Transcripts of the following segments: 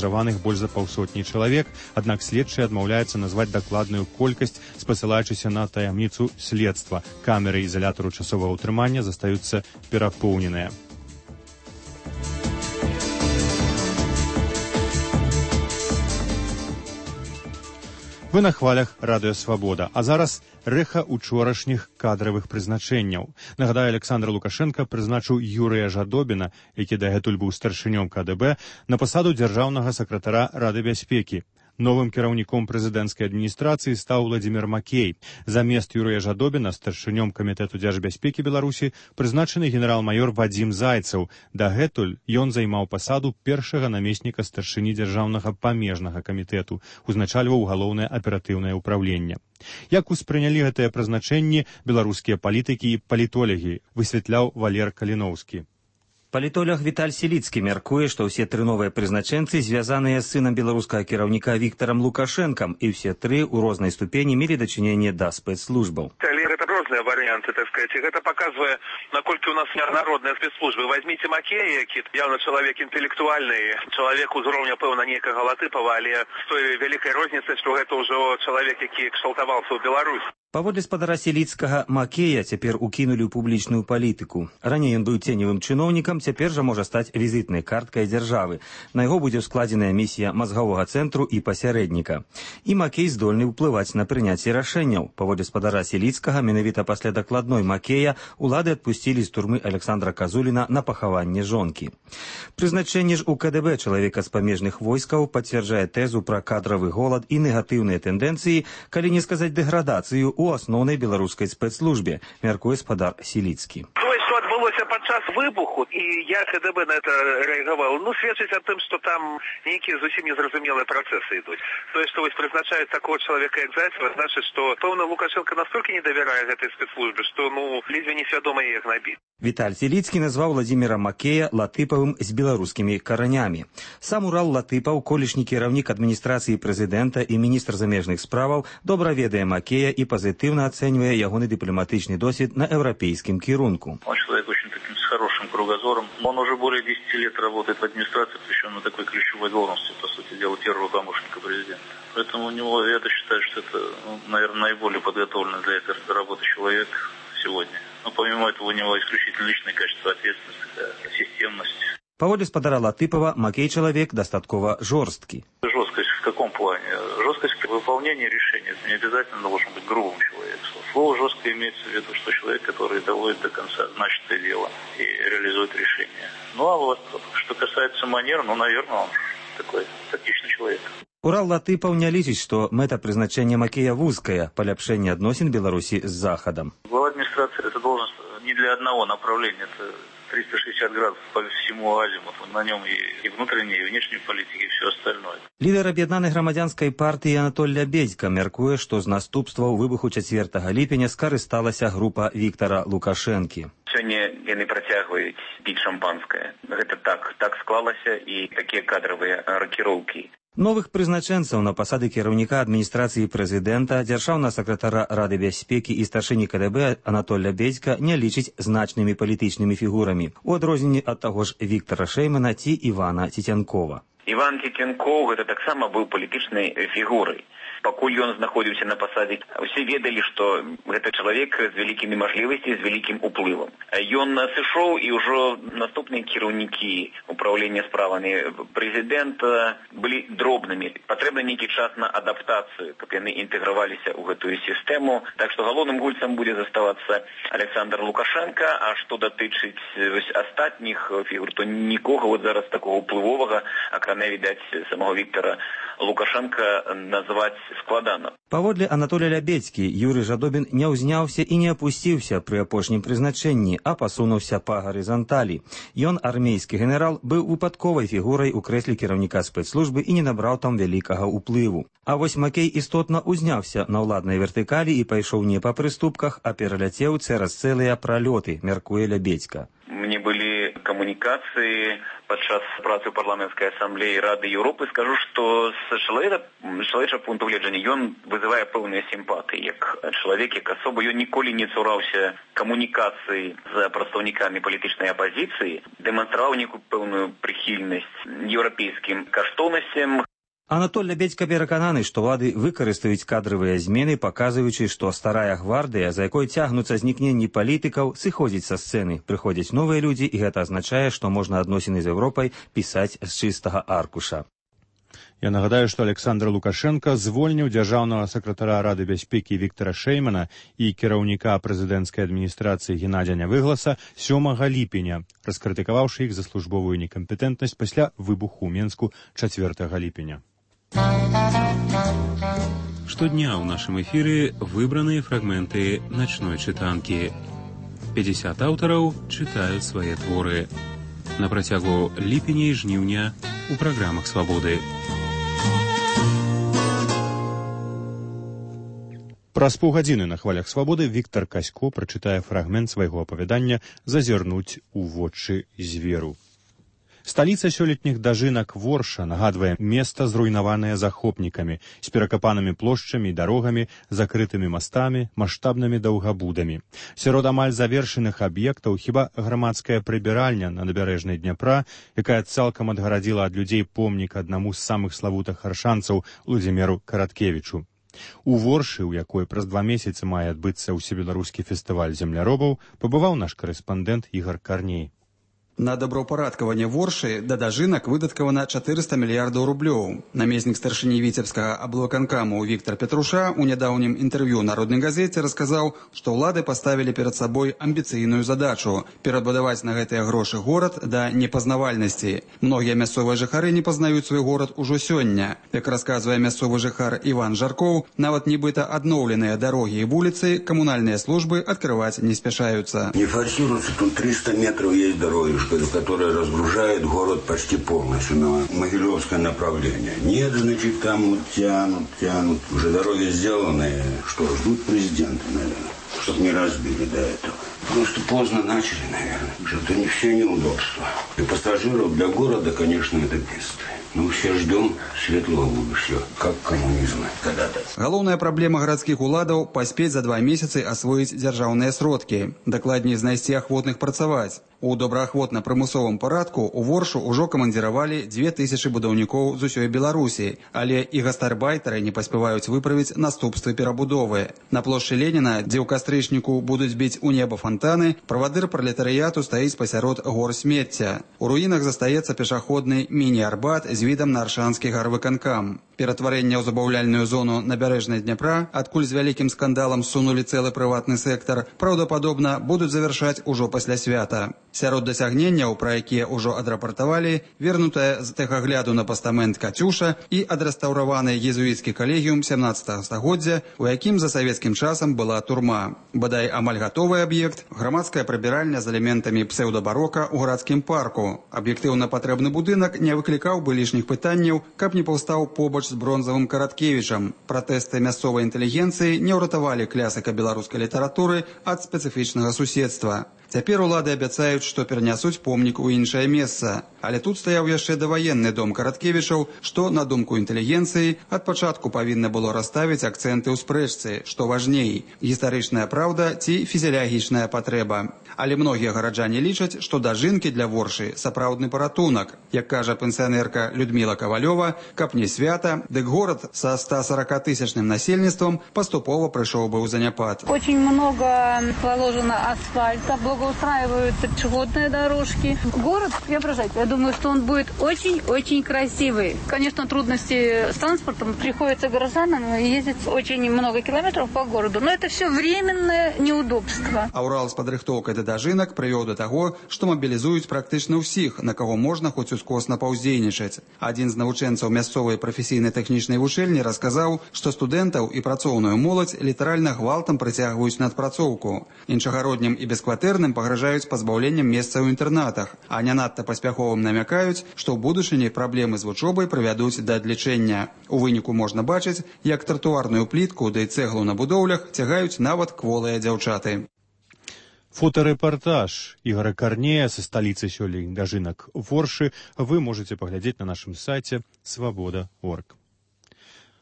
падазраваных больш за паўсотні чалавек, аднак следчыя адмаўляюцца назваць дакладную колькасць, спасылаючыся на таямніцу следства. Камеры ізалятару часовага ўтрымання застаюцца перапоўненыя. Вы на хвалях Радыё Свабода, а зараз рэха учорашніх кадравых прызначэнняў. Нагадаю, Александр Лукашенко прызначыў Юрыя Жадобіна, які дагэтуль быў старшынём КДБ, на пасаду дзяржаўнага сакратара Рады бяспекі. Новым кіраўніком прэзідэнцкай адміністрацыі стаў Владзімір Макей. Замест Юрыя Жадобіна старшынём камітэту дзяржбяспекі Беларусі прызначаны генерал-майор Вадзім Зайцаў. Дагэтуль ён займаў пасаду першага намесніка старшыні дзяржаўнага памежнага камітэту, узначальваў галоўнае аператыўнае ўпраўленне. Як успрынялі гэтыя прызначэнні беларускія палітыкі і палітолягі, высвятляў Валер Каліноўскі. Палітолог Віталь Сіліцкі мяркуе, што ўсе тры новыя прызначэнцы звязаныя з сынам беларускага кіраўніка Віктарам Лукашэнкам, і ўсе тры ў рознай ступені мелі дачыненне да спецслужбаў. Это розныя варианты, так сказать. Это показывает, насколько у нас народные спецслужбы. Возьмите Макея, які явно человек интеллектуальный, человек уровня, пэўна, некага Латыпова, але с той великой розницей, что это уже человек, які кшталтаваўся ў Беларусь. Паводле спадара Сіліцкага, Макея цяпер укінулі ў публічную палітыку. Раней ён быў ценевым чыноўнікам, цяпер жа можа стаць візітнай карткай дзяржавы. На яго будзе складзеная місія мазгавога цэнтру і пасярэдніка. І Макей здольны ўплываць на прыняцце рашэнняў. Паводле спадара Сіліцкага, менавіта пасля дакладной Макея улады адпусцілі з турмы Александра Казуліна на пахаванне жонкі. Прызначэнне ж у КДБ чалавека з памежных войскаў пацвярджае тэзу пра кадравы голад і негатыўныя тэндэнцыі, калі не сказаць дэградацыю у асноўнай беларускай спецслужбе, мяркуе спадар Сіліцкі. Адбылося падчас выбуху, і я КДБ на это рэагаваў. Сведчыць аб тым, што там нейкія зусім незразумелыя працэсы ідуць. Тое, што вось прызначаюць такого чалавека, як Зайцева, значыць, што пэўна Лукашенко настолькі не давярае гэтай спецслужбе, што ледзьве несвядома яе гнабіць. Віталь Сіліцкі назваў Владзіміра Макея Латыпавым з беларускімі каранямі. Сам Урал Латыпаў, колішні кіраўнік адміністрацыі прэзідэнта і міністр замежных справаў, добра ведае Макея і пазітыўна ацэньвае ягоны дыпламатычны досвед на еўрапейскім кірунку. Человек очень таким с хорошим кругозором. Он уже более 10 лет работает в администрации, причем на такой ключевой должности, по сути дела, первого помощника президента. Поэтому у него, я считаю, что это, наверное, наиболее подготовленный для этой работы человек сегодня. Но помимо этого у него исключительно личные качества, ответственность, системность. Паводле спадара Латыпова, Макей чалавек дастаткова жорсткі. Жесткость в каком плане? Жесткость в выполнении решений. Это не обязательно должен быть грубым человеком. Слово жестко имеется в виду, что человек, который доводит до конца начатое дело и реализует решение. Ну а вот, что касается манер, наверное, он такой тактичный человек. Урал Латыпаў не лічыць, што мэта прызначэння Макея вузкая, паляпшэнне адносін Беларусі з Захадам. Глава администрации это должность не для одного направления, это 360 градусов по всему азимуту. На нем и внутренней, и внешней политики, и все остальное. Лідар аб'яднанай грамадзянскай партыі Анатоль Лябедзька мяркуе, што з наступстваў выбуху 4 ліпеня скарысталася група Віктара Лукашэнкі. Сёння яны працягваюць піць шампанскае. Гэта так склалася, і такія кадравыя ракіроўкі. Новых прызначэнцаў на пасады кіраўніка адміністрацыі прэзідэнта, дзяржаўнага сакратара Рады бяспекі і старшыні КДБ Анатоль Лябедзька не лічыць значнымі палітычнымі фігурамі, у адрозненні ад таго ж Віктара Шэймана ці Івана Цецянкова. Іван Цецянкоў гэта таксама быў палітычнай фігурай. Пакуль ён знаходзіўся на пасадзе, усе ведалі, што гэта чалавек з вялікімі мажлівасцямі, з вялікім уплывам. Ён сышоў, і ўжо наступныя кіраўнікі управлення справамі прэзідэнта былі дробнымі. Патрэбны нейкі час на адаптацыю, каб яны інтэграваліся ў гэтую сістэму. Так што галоўным гульцам будзе заставацца Александр Лукашенко, а што датычыць астатніх фігур, то нікога зараз такого уплывовага, акрамя, відаць, самого Віктара Лукашенко назваць складана. Паводле Анатолія Лябедзькі, Юрый Жадобін не ўзняўся і не апусціўся пры апошнім прызначэнні, а пасунуўся па гарызанталі. Ён, армейскі генерал, быў выпадковай фігурай у крэсле кіраўніка спецслужбы і не набраў там вялікага ўплыву. А вось Макей істотна ўзняўся на ўладнай вертыкалі і пайшоў не па прыступках, а пераляцеў цераз цэлыя пралёты, мяркуе Лябедзька. Мне былі камунікацыі падчас працы парламенцкай асамблеі Рады Еўропы. Скажу, што з чалавечага пункту гледжання ён вызывае пэўныя сімпатыі. Як чалавек, як асоба, ён ніколі не цураўся камунікацыі з прадстаўнікамі палітычнай апазіцыі, дэманстраваў нейкую пэўную прыхільнасць еўрапейскім каштоўнасцям. Анатоль Лябедзька перакананы, што ўлады выкарыстаюць кадравыя змены, паказваючы, што старая гвардыя, за якой цягнуцца знікненні палітыкаў, сыходзіць са сцэны. Прыходзяць новыя людзі, і гэта азначае, што можна адносіны з Еўропай пісаць з чыстага аркуша. Я нагадаю, што Александр Лукашенко звольніў дзяржаўнага сакратара Рады бяспекі Віктара Шэймана і кіраўніка прэзідэнцкай адміністрацыі Геннадзя Нявыгласа 7 ліпеня, раскрытыкаваўшы іх за службовую некампетэнтнасць пасля выбуху ў Менску 4 ліпеня. Штодня ў нашым эфіры выбраныя фрагменты начной чытанкі. 50 аўтараў чытаюць свае творы. На працягу ліпеня і жніўня у праграмах «Свабоды». Праз паўгадзіны на хвалях «Свабоды» Віктар Касько прачытае фрагмент свайго апавядання «Зазірнуць у вочы зверу». Сталіца сёлетніх дажынак Ворша нагадвае места, зруйнаванае захопнікамі, з перакапанымі плошчамі і дарогамі, закрытымі мастамі, маштабнымі даўгабудамі. Сярод амаль завершаных аб'ектаў хіба грамадская прыбіральня на набярэжнай Дняпра, якая цалкам адгарадзіла ад людзей помнік аднаму з самых славутых аршанцаў Владзіміру Караткевічу. У Воршы, у якой праз 2 месяцы мае адбыцца ўсебеларускі фестываль земляробаў, пабываў наш корэспандэнт Ігар Карней. На добраўпарадкаванне Воршы да дажынак выдаткавана 400 мільярдаў рублёў. Намеснік старшыні віцебскага аблвыканкаму Віктар Петруша у нядаўнім інтэрв'ю народнай газеце расказаў, што ўлады паставілі перад сабой амбіцыйную задачу перабудаваць на гэтыя грошы горад да непазнавальнасці. Многія мясцовыя жыхары не пазнаюць свой горад ужо сёння. Як расказвае мясцовы жыхар Іван Жаркоў, нават нібыта адноўленыя дарогі і вуліцы камунальныя службы адкрываць не спяшаюцца. Не форсируется, тут 300 метров есть дороги, которая разгружает город почти полностью на Могилевское направление. Нет, значит, там вот тянут. Уже дороги сделаны. Что, ждут президента, наверное, чтобы не разбили до этого. Просто поздно начали, наверное. Что-то не все неудобства. Для пассажиров, для города, конечно, это бедствие. Ну, все ждем светлого будущего, как коммунизм когда-то. Галоўная праблема гарадскіх уладаў – паспець за 2 месяцы асвоіць дзяржаўныя сродкі, дакладней знайсці ахвотных працаваць. У добраахвотна-прымусовым парадку у Воршу ўжо камандзіравалі 2000 будаўнікоў з усёй Беларусі, але і гастарбайтары не паспяваюць выправіць наступствы перабудовы. На плошчы Леніна, дзе ў кастрычніку будуць біць у неба фонтаны, правадыр пралетарыяту стаіць пасярод гор смецця. У руінах застаецца пешаходны міні-арбат з відам на аршанскі гарвыканкам. Ператварэнне ў забаўляльную зону набярэжнай Дняпра, адкуль з вялікім скандалам сунулі цэлы прыватны сектар, праўдападобна будуць завяршаць ужо пасля свята. Сярод дасягненняў, пра якія ўжо адрапартавалі, вернутая з тэхагляду на пастамент «Кацюша» і адрэстаўраваны езуіцкі калегіум 17 стагоддзя, у якім за савецкім часам была турма. Бадай амаль гатовы аб'ект – грамадская прыбіральня з элементамі псеўдабарока ў гарадскім парку. Аб'ектыўна патрэбны будынак не выклікаў бы лішніх пытанняў, каб не паўстаў побач з бронзавым Караткевічам. Пратэсты мясцовай інтэлігенцыі не ўратавалі клясыка беларускай літаратуры ад спецыфічнага суседства. Цяпер улады абяцаюць, што перанясуць помнік у іншае месца. Але тут стаяў яшчэ даваенны дом Караткевічаў, што, на думку інтэлігенцыі, ад пачатку павінна было расставіць акцэнты ў спрэчцы, што важней – гістарычная праўда ці фізіялагічная патрэба. Але многія гараджане лічаць, што дажынкі для Воршы – сапраўдны паратунак. Як кажа пенсіянерка Людміла Кавалёва, каб не свята, дык горад са 140-тысячным насельніцтвам паступова прыйшоў бы ў заняпад. Очень много положено асфальта, устраиваются пешеходные дорожки. Город преображать. Я думаю, что он будет очень-очень красивый. Конечно, трудности с транспортом. Приходится горожанам ездить очень много километров по городу. Но это все временное неудобство. А Урал с падрыхтоўкай да дажынак прывёў да таго, што мабілізуюць практычна ўсіх, на каго можна хоць ускосна паўздзейнічаць. Адзін з навучэнцаў мясцовай прафесійна-тэхнічнай вучэльні расказаў, што студэнтаў і працоўную моладзь літаральна гвалтам прыцягваюць на адпрацоўку. Іншагароднім і бескватэрным пагражаюць пазбаўленнем месца ў інтэрнатах, а не надта паспяховым намякаюць, што ў будучыні праблемы з вучобай прывядуць да адлічэння. У выніку можна бачыць, як тратуарную плітку ды цэглу на будоўлях цягаюць нават кволыя дзяўчаты. Фоторэпартаж Игоря Корнея со столицы сёлень Дажинок Ворши вы можете поглядеть на нашем сайте свобода.орг.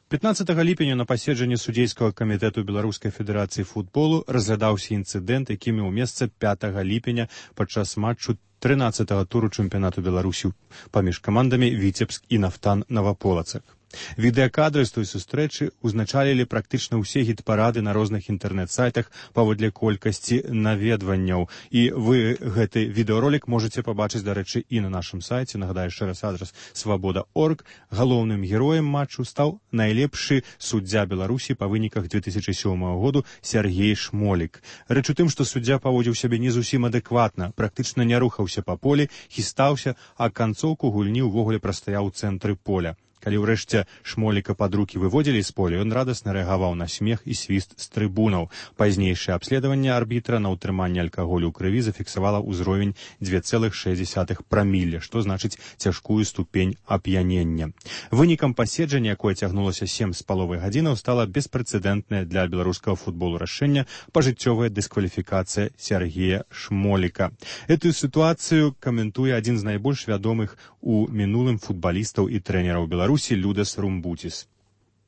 15 ліпеня на паседжанні судзейскага камітэту Беларускай федэрацыі футболу разглядаўся інцыдэнт, які меў месца 5 ліпеня падчас матчу 13-го туру чэмпіянату Беларусі паміж камандамі Віцебск і Нафтан Наваполацак. Відэакадры з той сустрэчы узначалілі практычна ўсе гіт-парады на розных інтэрнэт-сайтах паводле колькасці наведванняў. І вы гэты відэаролік можете пабачыць, дарэчы, і на нашым сайце. Нагадаю яшчэ раз адрас свобода.орг. Галоўным героем матчу стаў найлепшы суддзя Беларусі па выніках 2007 году Сергей Шмолік. Рэч у тым, што суддзя паводзіў сябе не зусім адэкватна, практычна не рухаўся па полі, хістаўся, а канцоўку гульні ўвогуле прастаяў у цэнтры поля. Калі ўрэшце Шмоліка пад рукі выводзілі з поля, ён радасна рэагаваў на смех і свіст з трыбунаў. Пазнейшае абследаванне арбітра на ўтрыманне алкаголю ў крыві зафіксавала ўзровень 2,6 прамілля, што значыць цяжкую ступень ап'янення. Вынікам паседжання, якое цягнулася 7,5 гадзінаў, стала беспрэцэдэнтная для беларускага футболу рашэнне пажыццёвая дыскваліфікацыя Сергея Шмоліка. Эту сітуацыю каментуе адзін з найбольш вядомых у мінулым футбалістаў і трэнераў Беларусі Людас Румбутис.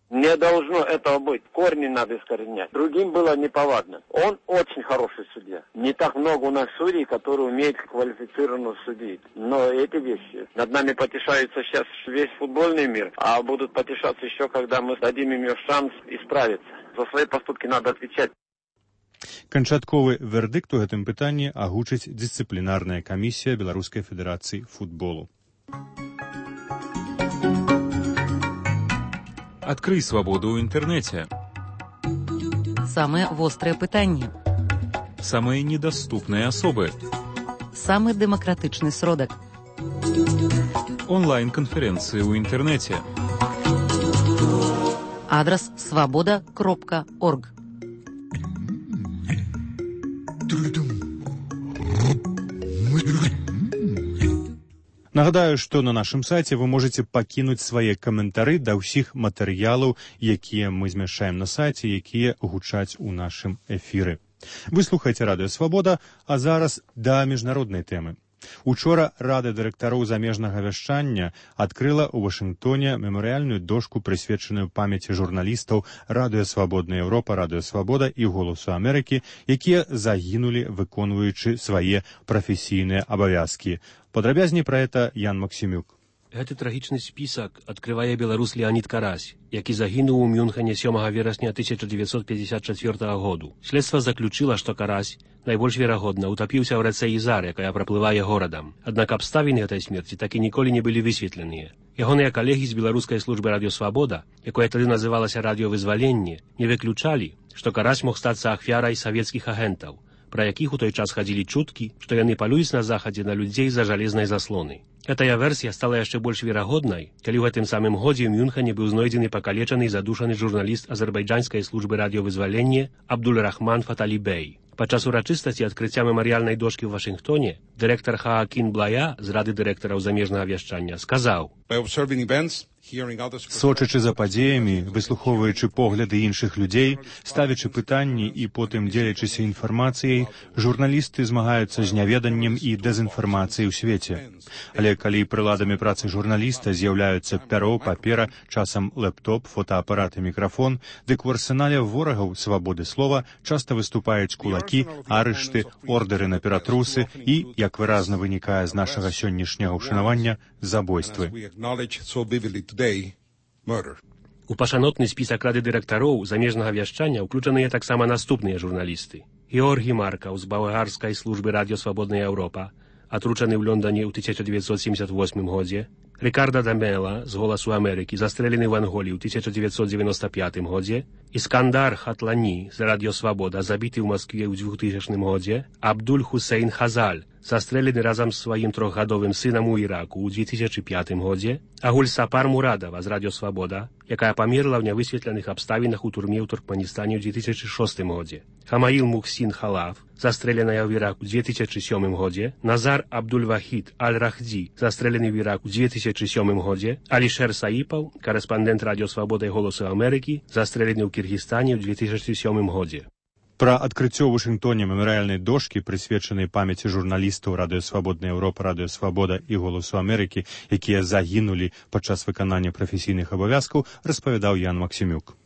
Не должно этого быть. Корни надо искоренять. Другим было неповадно. Он очень хороший судья. Не так много у нас судей, которые умеют квалифицированно судить. Но эти вещи. Над нами потешается сейчас весь футбольный мир, а будут потешаться еще, когда мы дадим им шанс исправиться. За свои поступки надо отвечать. Канчатковы вердикт у гэтым пытанні агучыць дысцыплінарная камісія Беларускай федэрацыі футболу. Открый свободу ў інтэрнэце. Самые вострые пытанні. Самые недоступные особы. Самый демократычны сродак. Онлайн-конференции ў інтэрнэце. Адрес свобода.орг. Нагадаю, што на нашым сайце вы можете пакінуць свае каментары да ўсіх матэрыялаў, якія мы змяшчаем на сайце, якія гучаць у нашым эфіры. Вы слухаеце Радыё Свабода, а зараз да міжнароднай тэмы. Учора Рада дырэктароў замежнага вяшчання адкрыла ў Вашынгтоне мемарыяльную дошку, прысвечаную памяці журналістаў Радыё Свабодная Еўропа, Радыё Свабода і Голасу Амерыкі, якія загінулі, выконваючы свае прафесійныя абавязкі. Падрабязней пра гэта Ян Максімюк. Гэты трагічны спісак адкрывае беларус Леонід Карась, які загінуў у Мюнхене 7 верасня 1954 году. Следства заключыла, што Карась найбольш верагодна утапіўся ў рацэ Ізар, якая праплывае горадам. Аднак абставіны гэтай смерці так і ніколі не былі высветленыя. Ягоныя калегі з беларускай службы Радыё Свабода, якая тады называлася Радыёвызваленне, не выключалі, што Карась мог стацца ахвярай савецкіх агентаў, пра якіх у той час хадзілі чуткі, што яны палююць на захадзе на людзей за жалезнай заслоны. Гэтая версія стала яшчэ больш верагоднай, калі ў гэтым самым годзе ў Мюнхене быў знойдзены пакалечаны і задушаны журналіст азербайджанскай службы радыёвызвалення Абдуль-Рахман Фаталі-Бей. Падчас урачыстасці адкрыцця мемарыяльнай дошкі ў Вашынгтоне дырэктар Хаакін Блая з Рады дырэктараў замежнага вяшчання сказаў: сочачы за падзеямі, выслухоўваючы погляды іншых людзей, ставячы пытанні і потым дзелячыся інфармацыяй, журналісты змагаюцца з няведаннем і дэзінфармацыяй у свеце. Але калі прыладамі працы журналіста з'яўляюцца пяро, папера, часам лэптоп, фотоапарат і мікрафон, дык у арсенале ворагаў свабоды слова часта выступаюць кулакі, арышты, ордэры на ператрусы і, як выразна вынікае з нашага сённяшняга ўшанавання, забойствы. У пашанотны спісак Рады дырэктароў замежнага вяшчання ўключаныя таксама наступныя журналісты. Георгій Маркаў з балгарскай службы Радыё Свабодная Еўропа, атручаны ў Лондоне ў 1978 годзе, Рикардо Дамела з Голасу Амерыкі, застрэлены ў Анголі ў 1995 годзе, Іскандар Хатлані з Радыё Свабода, забіты ў Маскве ў 2000 годзе, Абдуль Хусейн Хазаль, застрэлены разам з сваім 3-гадовым сынам у Іраку ў 2005 годзе, Агуль Сапар Мурадава з Радыё Свабода, якая памерла ў нявысветленых абставінах у турме ў Туркменістане ў 2006 годзе, Хамаіл Мухсін Халаф, застрэленая ў Іраку ў 2007 годзе, Назар Абдуль-Вахід Аль-Рахдзі, застрэлены ў Іраку ў 2007 годзе, Алішер Саіпаў, карэспандэнт Радыё Свабода і Голасу Амерыкі, застрэлены ў Кіргізстане ў 2007 годзе. Пра адкрыццё ў Вашынгтоне мемарыяльнай дошкі, прысвечанай памяці журналістаў Радыё Свабодная Еўропа, Радыё Свабода і Голасу Амерыкі, якія загінулі падчас выканання прафесійных абавязкаў, распавядаў Ян Максімюк.